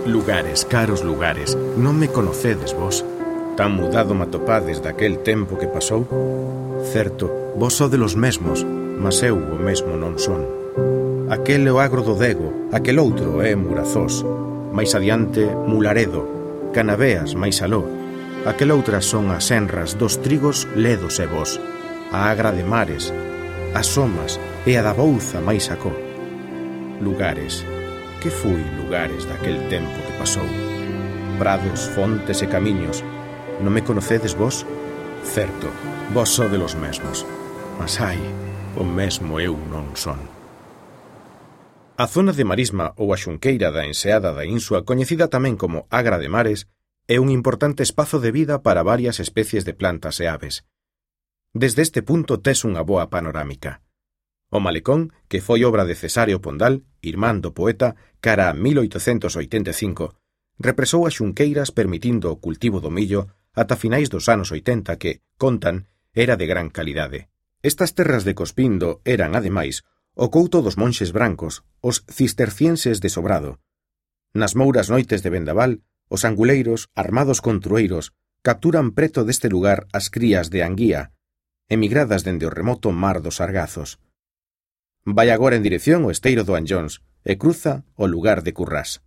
Lugares, caros lugares, non me conocedes vos? Tan mudado me atopades daquel tempo que pasou? Certo, vos sodes os mesmos, mas eu o mesmo non son. Aquel é o agro do Dego, aquel outro é Murazós, máis adiante Mularedo, Canaveas máis aló. Aquel outras son as enras dos trigos ledos e vos, a agra de mares, as somas e a da Bouza máis acó. Lugares, que fui lugares daquel tempo que pasou? Prados, fontes e camiños, non me conocedes vos? Certo, vos sodes os mesmos, mas ai, o mesmo eu non son. A zona de marisma ou a xunqueira da enseada da Insua, coñecida tamén como Agra de Mares, é un importante espazo de vida para varias especies de plantas e aves. Desde este punto tes unha boa panorámica. O malecón, que foi obra de Cesáreo Pondal, irmán do poeta, cara a 1885, represou as xunqueiras permitindo o cultivo do millo ata finais dos anos 80 que, contan, era de gran calidade. Estas terras de Cospindo eran, ademais, o couto dos monxes brancos, os cistercienses de Sobrado. Nas mouras noites de vendaval, os anguleiros, armados con trueiros, capturan preto deste lugar as crías de anguía, emigradas dende o remoto mar dos Sargazos. Vai agora en dirección ao esteiro do Anllóns e cruza o lugar de Currás.